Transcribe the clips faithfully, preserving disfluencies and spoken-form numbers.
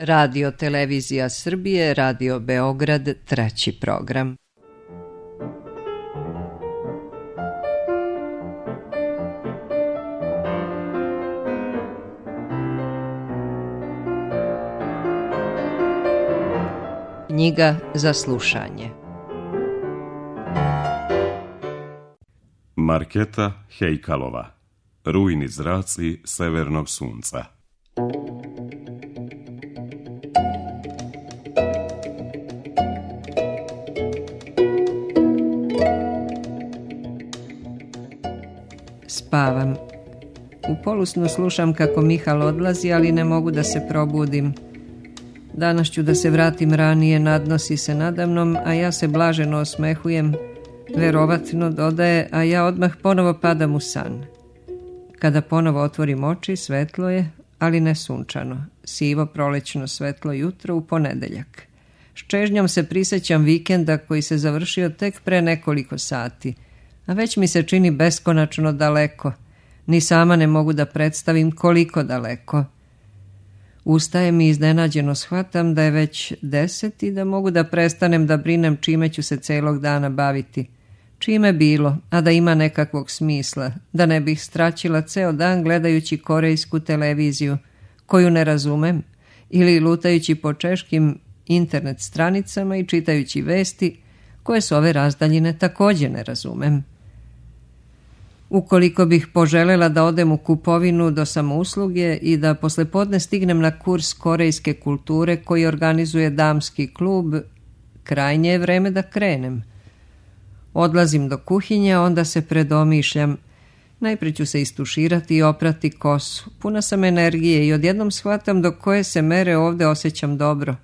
Radio Televizija Srbije, Radio Beograd, treći program. Knjiga za slušanje. Marketa Hejkalova. Rujni zraci severnog sunca. Spavam. U polusnu slušam kako Mihal odlazi, ali ne mogu da se probudim. Danas ću da se vratim ranije, nadnosi se nadamnom, a ja se blaženo osmehujem. Verovatno dodaje, a ja odmah ponovo padam u san. Kada ponovo otvorim oči, svetlo je, ali ne sunčano. Sivo prolećno svetlo jutro u ponedeljak. S čežnjom se prisjećam vikenda koji se završio tek pre nekoliko sati, a već mi se čini beskonačno daleko. Ni sama ne mogu da predstavim koliko daleko. Ustajem i iznenađeno shvatam da je već deset i da mogu da prestanem da brinem čime ću se celog dana baviti. Čime bilo, a da ima nekakvog smisla, da ne bih straćila ceo dan gledajući korejsku televiziju, koju ne razumem, ili lutajući po češkim internet stranicama i čitajući vesti, koje s ove razdaljine također ne razumem. Ukoliko bih poželjela da odem u kupovinu do samousluge i da poslepodne stignem na kurs korejske kulture koji organizuje damski klub, krajnje je vreme da krenem. Odlazim do kuhinje, onda se predomišljam. Najprije ću se istuširati i oprati kosu. Puna sam energije i odjednom shvatam do koje se mere ovdje osjećam dobro.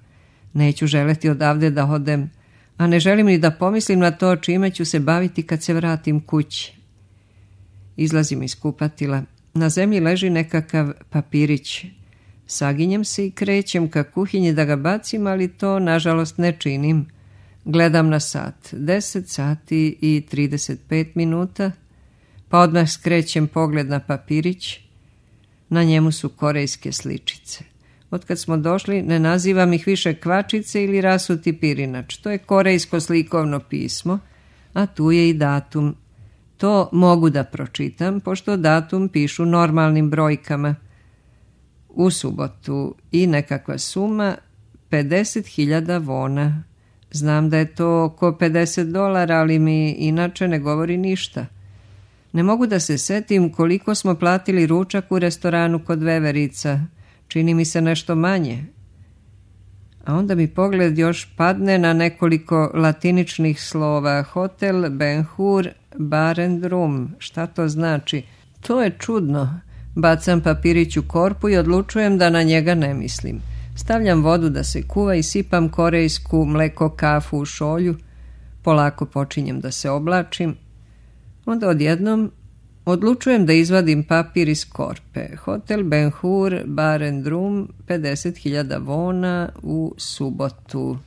Neću želeti odavde da odem, a ne želim ni da pomislim na to čime ću se baviti kad se vratim kući. Izlazim iz kupatila. Na zemlji leži nekakav papirić. Saginjem se i krećem ka kuhinji da ga bacim, ali to nažalost ne činim. Gledam na sat. Deset sati i trideset pet minuta. Pa odmah skrećem pogled na papirić. Na njemu su korejske sličice. Otkad smo došli ne nazivam ih više kvačice ili rasuti pirinač. To je korejsko slikovno pismo, a tu je i datum. To mogu da pročitam, pošto datum pišu normalnim brojkama. U subotu i nekakva suma pedeset hiljada vona. Znam da je to oko pedeset dolara, ali mi inače ne govori ništa. Ne mogu da se setim koliko smo platili ručak u restoranu kod Veverica. Čini mi se nešto manje. A onda mi pogled još padne na nekoliko latiničnih slova. Hotel Ben Hur Bar and Room. Šta to znači? To je čudno. Bacam papirić u korpu i odlučujem da na njega ne mislim. Stavljam vodu da se kuva i sipam korejsku mleko kafu u šolju. Polako počinjem da se oblačim. Onda odjednom odlučujem da izvadim papir iz korpe. Hotel Ben Hur Bar and Room, pedeset hiljada vona u subotu.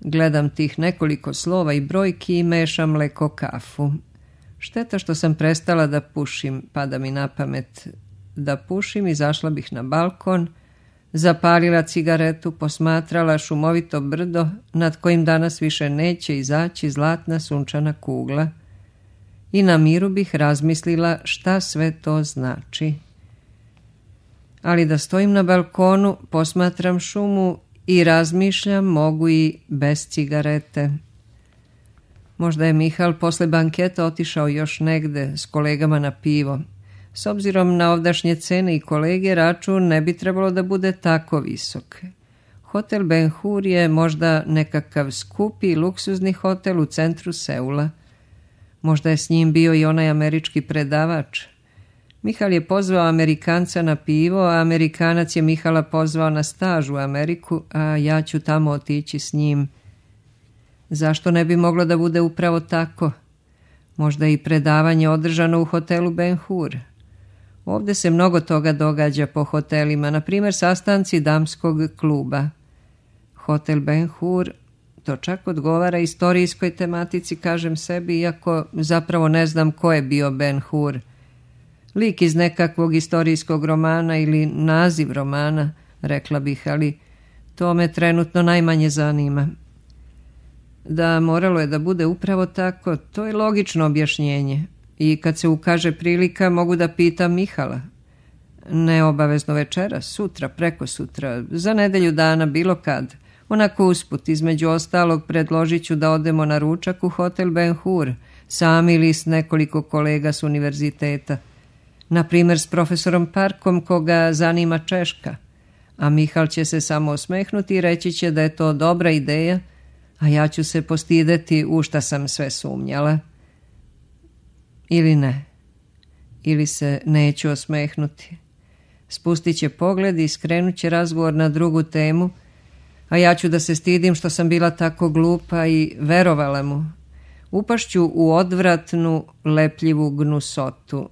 Gledam tih nekoliko slova i brojki i mešam mleko kafu. Šteta što sam prestala da pušim, pada mi na pamet da pušim, izašla bih na balkon, zapalila cigaretu, posmatrala šumovito brdo nad kojim danas više neće izaći zlatna sunčana kugla i na miru bih razmislila šta sve to znači. Ali da stojim na balkonu, posmatram šumu i razmišljam mogu i bez cigarete. Možda je Mihal posle banketa otišao još negde s kolegama na pivo. S obzirom na ovdašnje cene i kolege, račun ne bi trebalo da bude tako visok. Hotel Ben Hur je možda nekakav skupi luksuzni hotel u centru Seula. Možda je s njim bio i onaj američki predavač. Mihal je pozvao Amerikanca na pivo, a Amerikanac je Mihala pozvao na staž u Ameriku, a ja ću tamo otići s njim. Zašto ne bi moglo da bude upravo tako? Možda i predavanje održano u hotelu Ben Hur. Ovdje se mnogo toga događa po hotelima, na primjer sastanci damskog kluba. Hotel Ben Hur, to čak odgovara istorijskoj tematici, kažem sebi, iako zapravo ne znam ko je bio Ben Hur. Lik iz nekakvog istorijskog romana ili naziv romana, rekla bih, ali To me trenutno najmanje zanima. Da, moralo je da bude upravo tako, to je logično objašnjenje. I kad se ukaže prilika, mogu da pitam Mihala. Ne obavezno večeras, sutra, preko sutra, za nedelju dana, bilo kad. Onako usput, između ostalog, predložit ću da odemo na ručak u hotel Ben Hur, sami ili s nekoliko kolega s univerziteta. Naprimjer s profesorom Parkom, koga zanima Češka. A Mihal će se samo osmehnuti i reći će da je to dobra ideja, a ja ću se postideti u šta sam sve sumnjala. Ili ne. Ili se neću osmehnuti. Spustit će pogled i skrenut će razgovor na drugu temu, a ja ću da se stidim što sam bila tako glupa i verovala mu. Upašću u odvratnu, lepljivu gnusotu,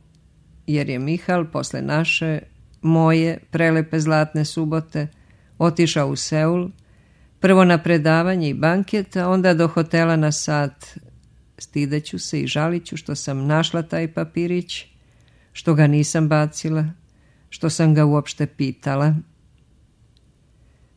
jer je Mihal posle naše, moje, prelepe zlatne subote otišao u Seul, prvo na predavanje i banket, a onda do hotela na sat. Stideću se i žaliću što sam našla taj papirić, što ga nisam bacila, što sam ga uopšte pitala.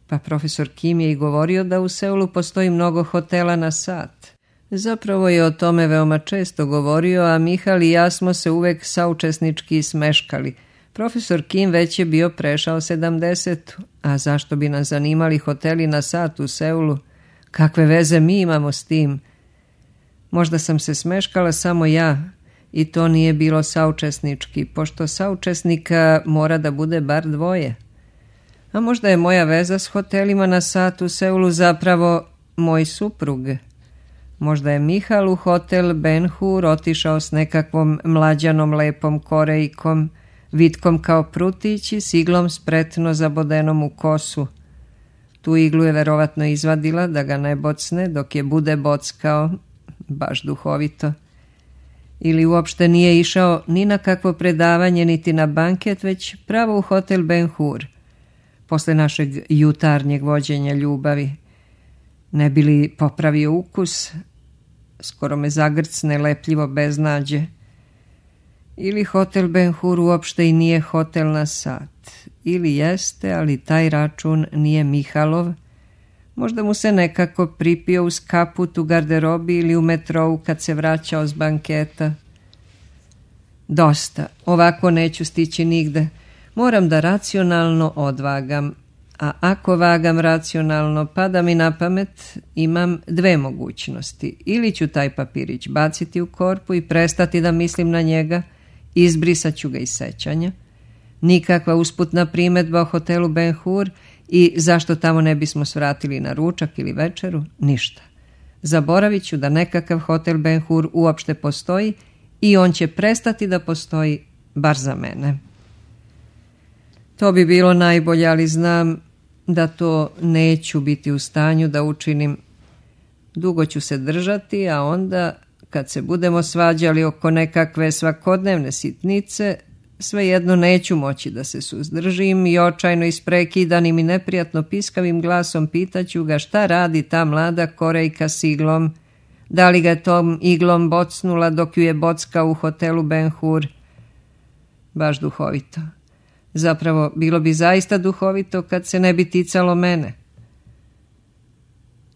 Pa profesor Kim je i govorio da u Seulu postoji mnogo hotela na sat. Zapravo je o tome veoma često govorio, a Mihal i ja smo se uvek saučesnički smeškali. Profesor Kim već je bio prešao sedamdeset, a zašto bi nas zanimali hoteli na sat u Seulu? Kakve veze mi imamo s tim? Možda sam se smeškala samo ja, i to nije bilo saučesnički, pošto saučesnika mora da bude bar dvoje. A možda je moja veza s hotelima na sat u Seulu zapravo moj suprug. Možda je Mihal u hotel Ben Hur otišao s nekakvom mlađanom lepom Korejkom, vitkom kao prutić i s iglom spretno zabodenom u kosu. Tu iglu je verovatno izvadila da ga ne bocne dok je bude bockao, baš duhovito. Ili uopšte nije išao ni na kakvo predavanje niti na banket, već pravo u hotel Ben Hur, posle našeg jutarnjeg vođenja ljubavi. Ne bi li popravio ukus? Skoro me zagrcne lepljivo beznađe. Ili hotel Ben Hur uopšte i nije hotel na sat. Ili jeste, ali taj račun nije Mihalov. Možda mu se nekako pripio uz kaput u garderobi ili u metrou kad se vraćao s banketa. Dosta, ovako neću stići nigde. Moram da racionalno odvagam. A ako vagam racionalno, pada mi na pamet, imam dve mogućnosti. Ili ću taj papirić baciti u korpu i prestati da mislim na njega, izbrisat ću ga iz sećanja. Nikakva usputna primedba o hotelu Ben Hur i zašto tamo ne bismo svratili na ručak ili večeru, ništa. Zaboravit ću da nekakav hotel Ben Hur uopšte postoji i on će prestati da postoji, bar za mene. To bi bilo najbolje, ali znam da to neću biti u stanju da učinim. Dugo ću se držati, a onda, kad se budemo svađali oko nekakve svakodnevne sitnice, svejedno neću moći da se suzdržim i očajno isprekidanim i neprijatno piskavim glasom pitaću ga šta radi ta mlada Korejka s iglom, da li ga je tom iglom bocnula dok ju je bockao u hotelu Ben Hur. Baš duhovito. Zapravo, bilo bi zaista duhovito kad se ne bi ticalo mene.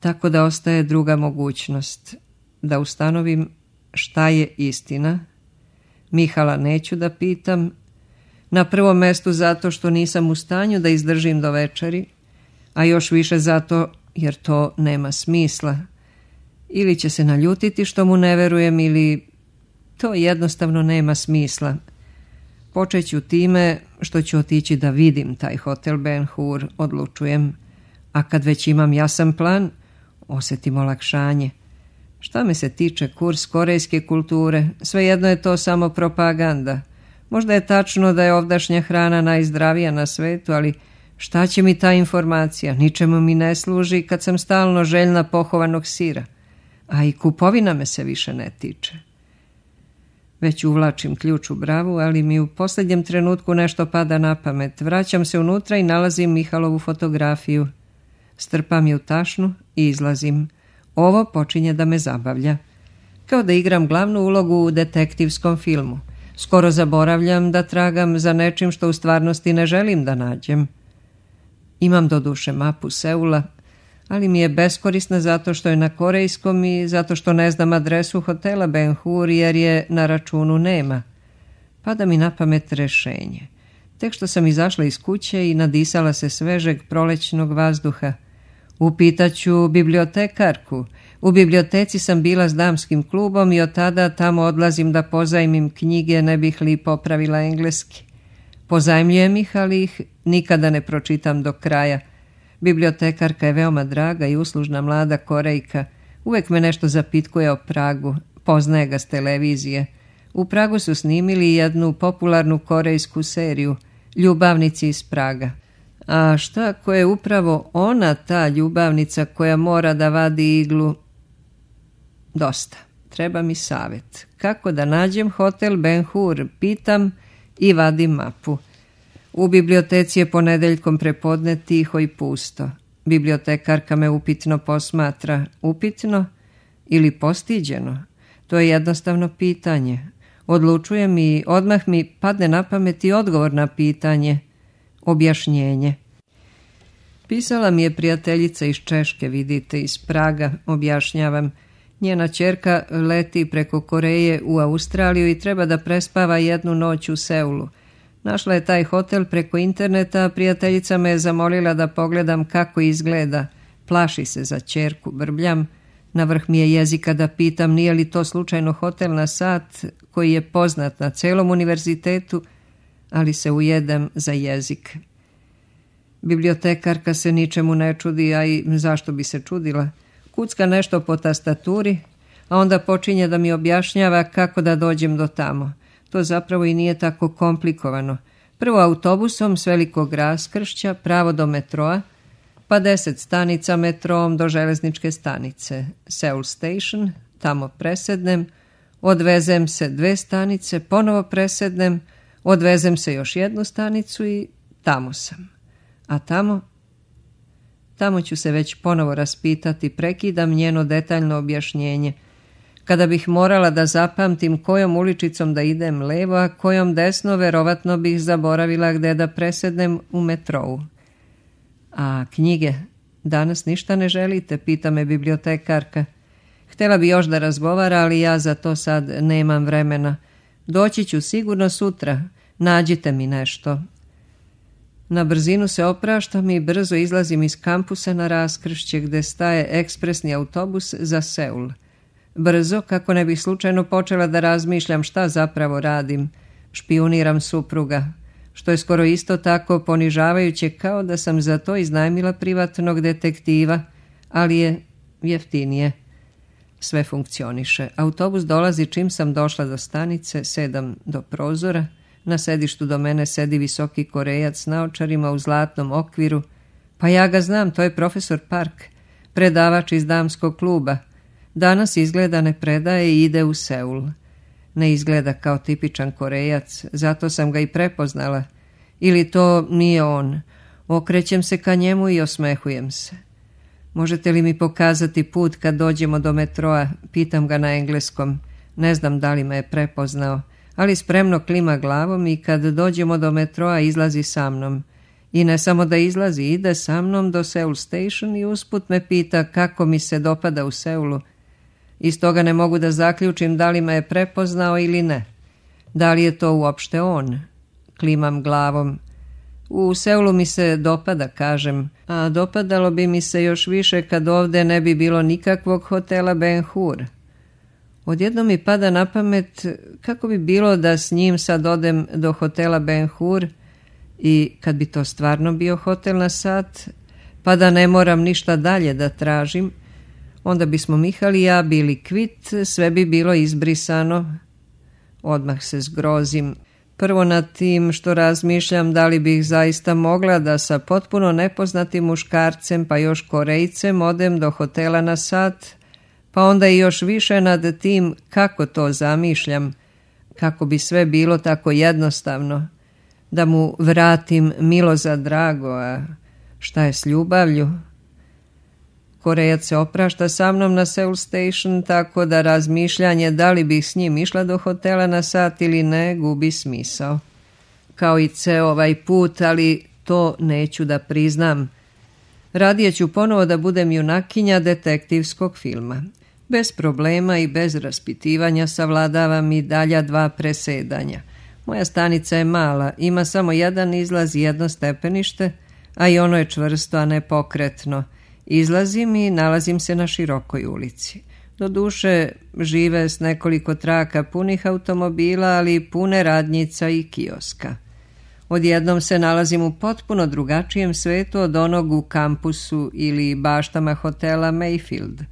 Tako da ostaje druga mogućnost, da ustanovim šta je istina. Mihala neću da pitam, na prvom mestu zato što nisam u stanju da izdržim do večeri, a još više zato jer to nema smisla. Ili će se naljutiti što mu ne verujem, ili to jednostavno nema smisla. Počeću time što ću otići da vidim taj hotel Ben Hur, odlučujem, a kad već imam jasan plan, osjetim olakšanje. Šta me se tiče kurs korejske kulture, svejedno je to samo propaganda. Možda je tačno da je ovdašnja hrana najzdravija na svetu, ali šta će mi ta informacija? Ničemu mi ne služi kad sam stalno željna pohovanog sira. A i kupovina me se više ne tiče. Već uvlačim ključ u bravu, ali mi u posljednjem trenutku nešto pada na pamet. Vraćam se unutra i nalazim Mihalovu fotografiju. Strpam je u tašnu i izlazim. Ovo počinje da me zabavlja. Kao da igram glavnu ulogu u detektivskom filmu. Skoro zaboravljam da tragam za nečim što u stvarnosti ne želim da nađem. Imam doduše mapu Seula, ali mi je beskorisna zato što je na korejskom i zato što ne znam adresu hotela Ben Hur jer je na računu nema. Pada mi na pamet rešenje. Tek što sam izašla iz kuće i nadisala se svežeg prolećnog vazduha. Upitaću bibliotekarku. U biblioteci sam bila s damskim klubom i od tada tamo odlazim da pozajmim knjige, ne bih li popravila engleski. Pozajmljujem ih, ali ih nikada ne pročitam do kraja. Bibliotekarka je veoma draga i uslužna mlada Korejka. Uvek me nešto zapitkuje o Pragu. Poznaje ga s televizije. U Pragu su snimili jednu popularnu korejsku seriju Ljubavnici iz Praga. A šta ako je upravo ona ta ljubavnica koja mora da vadi iglu? Dosta. Treba mi savjet. Kako da nađem hotel Ben Hur? Pitam i vadim mapu. U biblioteci je ponedeljkom prepodne tiho i pusto. Bibliotekarka me upitno posmatra. Upitno ili postiđeno? To je jednostavno pitanje. Odlučujem i odmah mi padne na pamet i odgovor na pitanje. Objašnjenje. Pisala mi je prijateljica iz Češke, vidite, iz Praga, objašnjavam. Njena ćerka leti preko Koreje u Australiju i treba da prespava jednu noć u Seulu. Našla je taj hotel preko interneta, a prijateljica me je zamolila da pogledam kako izgleda. Plaši se za ćerku, brbljam. Na vrh mi je jezika da pitam nije li to slučajno hotel na sat koji je poznat na celom univerzitetu, ali se ujedem za jezik. Bibliotekarka se ničemu ne čudi, a i zašto bi se čudila. Kucka nešto po tastaturi, a onda počinje da mi objašnjava kako da dođem do tamo. To zapravo i nije tako komplikovano. Prvo autobusom s velikog raskršća pravo do metroa, pa deset stanica metrom do železničke stanice. Seoul Station, tamo presednem, odvezem se dve stanice, ponovo presednem, odvezem se još jednu stanicu i tamo sam. A tamo? Tamo ću se već ponovo raspitati, prekidam njeno detaljno objašnjenje. Kada bih morala da zapamtim kojom uličicom da idem levo, a kojom desno, verovatno bih zaboravila gde da presednem u metrou. A knjige? Danas ništa ne želite, pita me bibliotekarka. Htjela bi još da razgovara, ali ja za to sad nemam vremena. Doći ću sigurno sutra. Nađite mi nešto. Na brzinu se opraštam i brzo izlazim iz kampusa na raskršće gde staje ekspresni autobus za Seul. Brzo, kako ne bih slučajno počela da razmišljam šta zapravo radim. Špijuniram supruga, što je skoro isto tako ponižavajuće kao da sam za to iznajmila privatnog detektiva, ali je jeftinije. Sve funkcioniše. Autobus dolazi čim sam došla do stanice, sedam do prozora. Na sedištu do mene sedi visoki Korejac s naočarima u zlatnom okviru. Pa ja ga znam, to je profesor Park, predavač iz damskog kluba. Danas izgleda ne predaje i ide u Seul. Ne izgleda kao tipičan Korejac, zato sam ga i prepoznala. Ili to nije on. Okrećem se ka njemu i osmehujem se. Možete li mi pokazati put kad dođemo do metroa? Pitam ga na engleskom. Ne znam da li me je prepoznao, ali spremno klima glavom i kad dođemo do metroa izlazi sa mnom. I ne samo da izlazi, ide sa mnom do Seoul Station i usput me pita kako mi se dopada u Seulu. Iz toga ne mogu da zaključim da li me je prepoznao ili ne. Da li je to uopšte on? Klimam glavom. U Seulu mi se dopada, kažem, a dopadalo bi mi se još više kad ovde ne bi bilo nikakvog hotela Ben Hur. Odjednom mi pada na pamet kako bi bilo da s njim sad odem do hotela Ben Hur i kad bi to stvarno bio hotel na sat, pa da ne moram ništa dalje da tražim, onda bismo Mihal i ja bili kvit, sve bi bilo izbrisano. Odmah se zgrozim. Prvo nad tim što razmišljam da li bih zaista mogla da sa potpuno nepoznatim muškarcem pa još Korejcem odem do hotela na sat, pa onda i još više nad tim kako to zamišljam, kako bi sve bilo tako jednostavno, da mu vratim milo za drago, a šta je s ljubavlju? Korejac se oprašta sa mnom na Seoul Station, tako da razmišljanje da li bih s njim išla do hotela na sat ili ne gubi smisao. Kao i ceo ovaj put, ali to neću da priznam. Radije ću ponovo da budem junakinja detektivskog filma. Bez problema i bez raspitivanja savladavam i dalja dva presedanja. Moja stanica je mala, ima samo jedan izlaz i jedno stepenište, a i ono je čvrsto, a ne pokretno. Izlazim i nalazim se na širokoj ulici. Doduše, žive s nekoliko traka punih automobila, ali i pune radnjica i kioska. Odjednom se nalazim u potpuno drugačijem svetu od onog u kampusu ili baštama hotela Mayfield.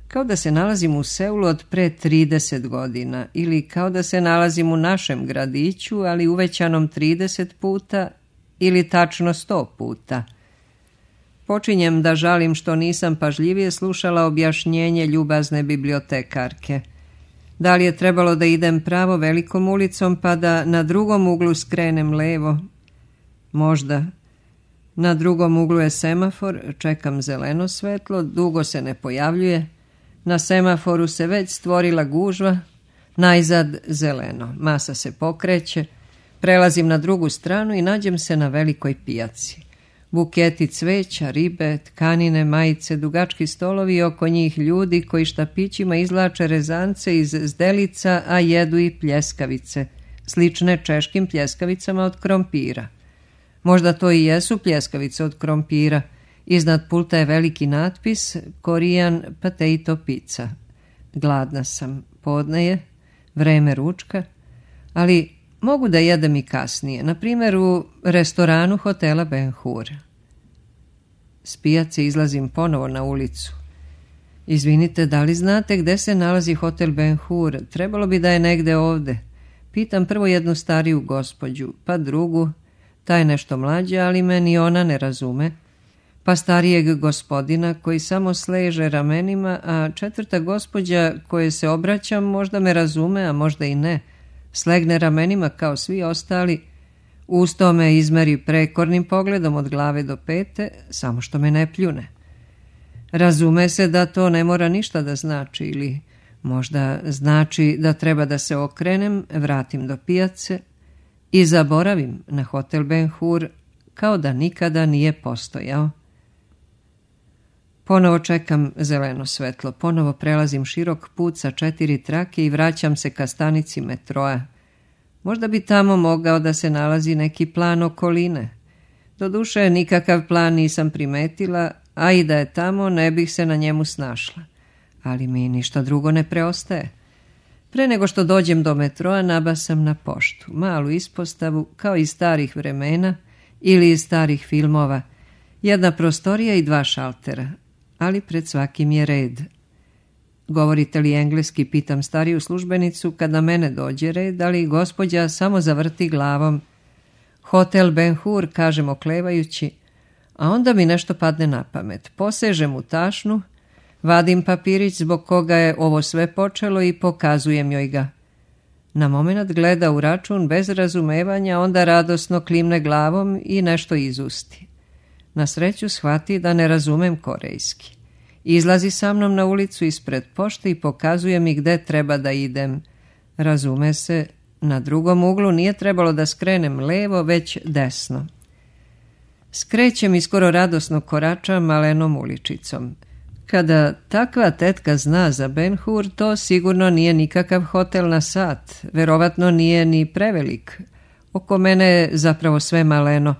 Kao da se nalazim u Seulu od pre trideset godina ili kao da se nalazim u našem gradiću, ali uvećanom trideset puta ili tačno sto puta. Počinjem da žalim što nisam pažljivije slušala objašnjenje ljubazne bibliotekarke. Da li je trebalo da idem pravo velikom ulicom pa da na drugom uglu skrenem levo? Možda. Na drugom uglu je semafor, čekam zeleno svetlo, dugo se ne pojavljuje. Na semaforu se već stvorila gužva, najzad zeleno. Masa se pokreće, prelazim na drugu stranu i nađem se na velikoj pijaci. Buketi cveća, ribe, tkanine, majice, dugački stolovi i oko njih ljudi koji štapićima izvlače rezance iz zdelica, a jedu i pljeskavice, slične češkim pljeskavicama od krompira. Možda to i jesu pljeskavice od krompira. Iznad pulta je veliki natpis Korean potato pizza. Gladna sam, podne je, vreme ručka, ali mogu da jedem i kasnije, na primjer u restoranu hotela Ben Hur. S pijace izlazim ponovo na ulicu. Izvinite, da li znate gde se nalazi hotel Ben Hur? Trebalo bi da je negde ovde. Pitam prvo jednu stariju gospođu, pa drugu, ta je nešto mlađa, ali me ni ona ne razume, pa starijeg gospodina koji samo sleže ramenima, a četvrta gospođa koje se obraćam možda me razume, a možda i ne. Slegne ramenima kao svi ostali, usto me izmeri prekornim pogledom od glave do pete, samo što me ne pljune. Razume se da to ne mora ništa da znači, ili možda znači da treba da se okrenem, vratim do pijace i zaboravim na hotel Ben Hur kao da nikada nije postojao. Ponovo čekam zeleno svetlo, ponovo prelazim širok put sa četiri trake i vraćam se ka stanici metroa. Možda bi tamo mogao da se nalazi neki plan okoline. Doduše, nikakav plan nisam primetila, a i da je tamo ne bih se na njemu snašla. Ali mi ništa drugo ne preostaje. Pre nego što dođem do metroa, nabasam na poštu, malu ispostavu kao iz starih vremena ili iz starih filmova, jedna prostorija i dva šaltera, ali pred svakim je red. Govorite li engleski, pitam stariju službenicu kad na mene dođe red, ali gospođa samo zavrti glavom. Hotel Ben Hur, kažem oklevajući, a onda mi nešto padne na pamet. Posežem u tašnu, vadim papirić zbog koga je ovo sve počelo i pokazujem joj ga. Na moment gleda u račun bez razumevanja, onda radosno klimne glavom i nešto izusti. Na sreću shvati da ne razumem korejski. Izlazi sa mnom na ulicu ispred pošte i pokazuje mi gde treba da idem. Razume se, na drugom uglu nije trebalo da skrenem levo, već desno. Skrećem i skoro radosno koračam malenom uličicom. Kada takva tetka zna za Ben Hur, to sigurno nije nikakav hotel na sat, verovatno nije ni prevelik. Oko mene je zapravo sve maleno,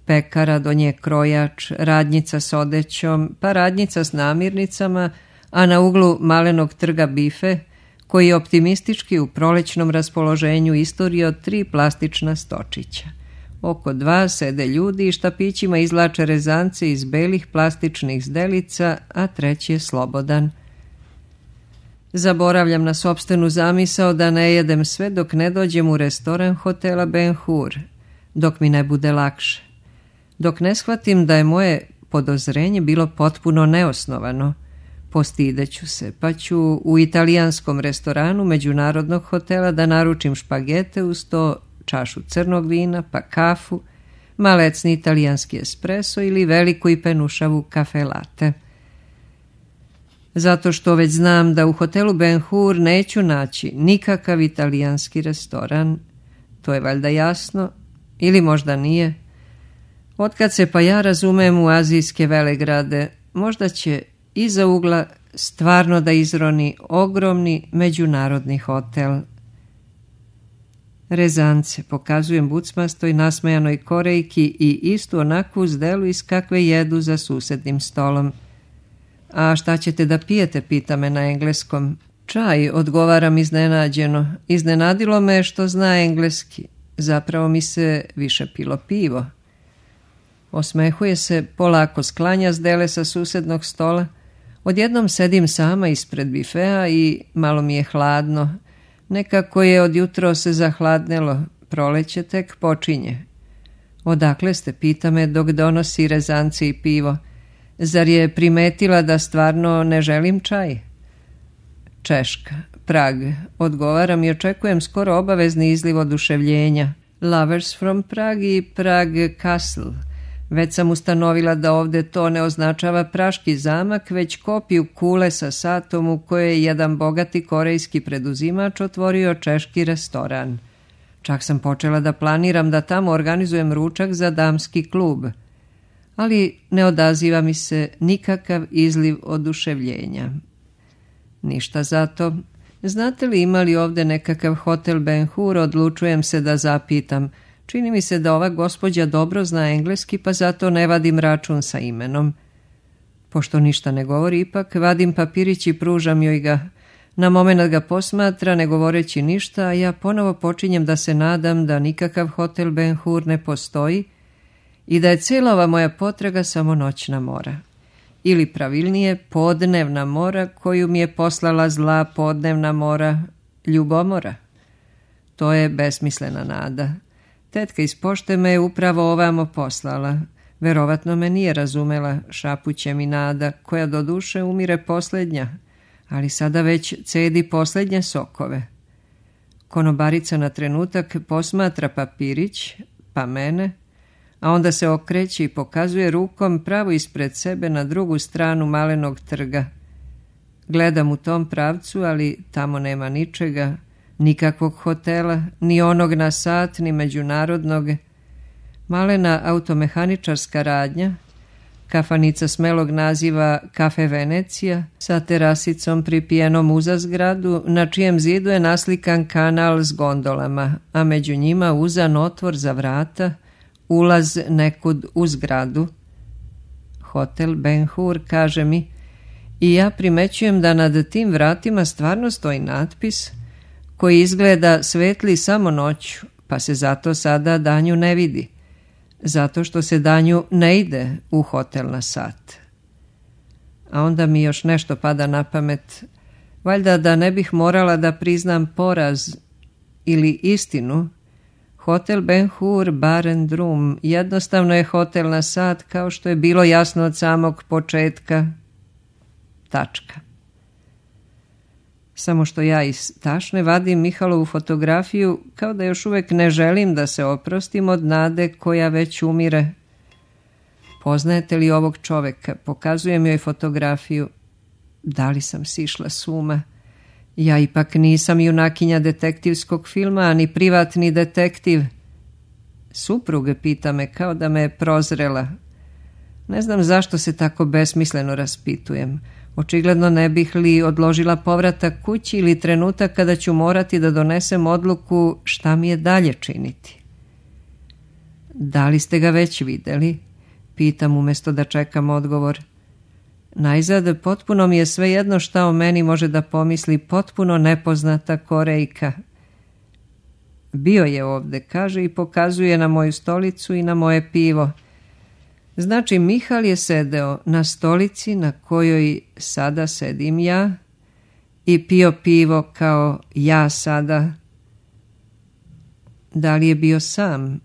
pekara, do nje krojač, radnjica s odećom, pa radnjica s namirnicama, a na uglu malenog trga bife, koji je optimistički u prolećnom raspoloženju istorio tri plastična stočića. Oko dva sede ljudi i štapićima izvlače rezance iz belih plastičnih zdelica, a treći je slobodan. Zaboravljam na sopstvenu zamisao da ne jedem sve dok ne dođem u restoran hotela Ben Hur, dok mi ne bude lakše. Dok ne shvatim da je moje podozrenje bilo potpuno neosnovano, postideću se, pa ću u italijanskom restoranu međunarodnog hotela da naručim špagete uz to čašu crnog vina, pa kafu, malecni italijanski espresso ili veliku i penušavu kafe latte. Zato što već znam da u hotelu Ben Hur neću naći nikakav italijanski restoran, to je valjda jasno, ili možda nije. Otkad se pa ja razumem u azijske velegrade, možda će iza ugla stvarno da izroni ogromni međunarodni hotel. Rezance, pokazujem bucmastoj nasmejanoj Korejki i istu onakvu zdelu iz kakve jedu za susednim stolom. A šta ćete da pijete, pita me na engleskom. Čaj, odgovaram iznenađeno. Iznenadilo me što zna engleski. Zapravo mi se više pilo pivo. Osmehuje se, polako sklanja zdele sa susednog stola. Odjednom sedim sama ispred bifea i malo mi je hladno. Nekako je od jutro se zahladnelo, proleće tek počinje. Odakle ste, pita me dok donosi rezance i pivo. Zar je primetila da stvarno ne želim čaj? Češka, Prag, odgovaram i očekujem skoro obavezni izliv oduševljenja. Lovers from Prague i Prague Castle. Već sam ustanovila da ovdje to ne označava praški zamak, već kopiju kule sa satom u kojoj je jedan bogati korejski preduzimač otvorio češki restoran. Čak sam počela da planiram da tamo organizujem ručak za damski klub. Ali ne odaziva mi se nikakav izliv oduševljenja. Ništa zato. Znate li ima li ovdje nekakav hotel Ben Hur, odlučujem se da zapitam. Čini mi se da ova gospođa dobro zna engleski, pa zato ne vadim račun sa imenom. Pošto ništa ne govori, ipak vadim papirić i pružam joj ga. Na moment ga posmatra, ne govoreći ništa, a ja ponovo počinjem da se nadam da nikakav hotel Ben Hur ne postoji i da je cijela ova moja potraga samo noćna mora. Ili pravilnije, podnevna mora koju mi je poslala zla podnevna mora, ljubomora. To je besmislena nada. Tetka iz pošte me je upravo ovamo poslala. Verovatno me nije razumela, šapuće mi nada, koja do duše umire posljednja, ali sada već cedi posljednje sokove. Konobarica na trenutak posmatra papirić, pa mene, a onda se okreće i pokazuje rukom pravo ispred sebe na drugu stranu malenog trga. Gledam u tom pravcu, ali tamo nema ničega, nikakvog hotela, ni onog na sat, ni međunarodnog. Malena automehaničarska radnja, kafanica smelog naziva Kafe Venecija, sa terasicom pripijenom uza zgradu, na čijem zidu je naslikan kanal s gondolama, a među njima uzan otvor za vrata, ulaz nekud u zgradu. Hotel Ben Hur, kaže mi, i ja primećujem da nad tim vratima stvarno stoji natpis koji izgleda svetli samo noću, pa se zato sada danju ne vidi, zato što se danju ne ide u hotel na sat. A onda mi još nešto pada na pamet, valjda da ne bih morala da priznam poraz ili istinu. Hotel Ben Hur Bar and Room jednostavno je hotel na sat, kao što je bilo jasno od samog početka. Tačka. Samo što ja iz tašne vadim Mihalovu fotografiju, kao da još uvijek ne želim da se oprostim od nade koja već umire. Poznajete li ovog čoveka? Pokazujem joj fotografiju. Da li sam sišla s uma? Ja ipak nisam junakinja detektivskog filma, ani privatni detektiv. Supruge, pita me, kao da me je prozrela. Ne znam zašto se tako besmisleno raspitujem. Očigledno ne bih li odložila povratak kući ili trenutak kada ću morati da donesem odluku šta mi je dalje činiti. Da li ste ga već vidjeli? Pitam umjesto da čekam odgovor. Najzad, potpuno mi je svejedno šta o meni može da pomisli potpuno nepoznata Korejka. Bio je ovde, kaže i pokazuje na moju stolicu i na moje pivo. Znači, Mihal je sedeo na stolici na kojoj sada sedim ja i pio pivo kao ja sada. Da li je bio sam?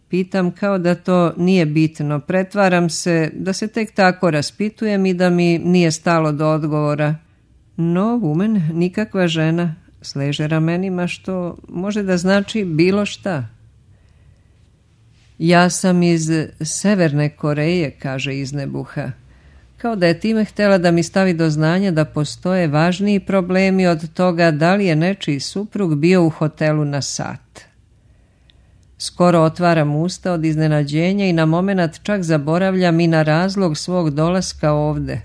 Pitam kao da to nije bitno. Pretvaram se da se tek tako raspitujem i da mi nije stalo do odgovora. No, woman, nikakva žena, sleže ramenima, što može da znači bilo šta. Ja sam iz Severne Koreje, kaže iznebuha. Kao da je time htjela da mi stavi do znanja da postoje važniji problemi od toga da li je nečiji suprug bio u hotelu na sat. Skoro otvaram usta od iznenađenja i na momenat čak zaboravljam i na razlog svog dolaska ovde.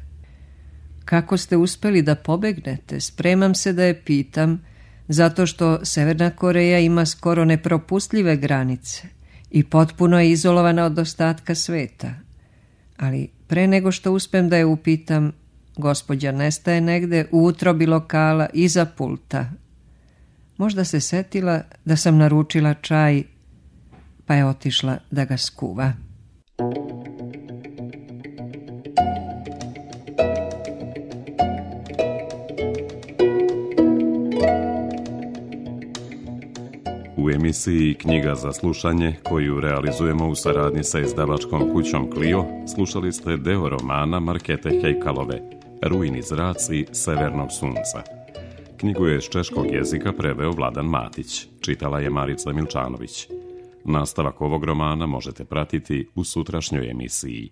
Kako ste uspeli da pobegnete? Spremam se da je pitam, zato što Severna Koreja ima skoro nepropustljive granice i potpuno je izolovana od ostatka sveta. Ali pre nego što uspem da je upitam, gospođa nestaje negde u utrobi lokala iza pulta. Možda se setila da sam naručila čaj, pa je otišla da ga skuva. U emisiji Knjiga za slušanje, koju realizujemo u saradnji sa izdavačkom kućom Clio, slušali ste deo romana Markete Hejkalove, Rujni zraci severnog sunca. Knjigu je iz češkog jezika preveo Vladan Matić, čitala je Marica Milčanović. Nastavak ovog romana možete pratiti u sutrašnjoj emisiji.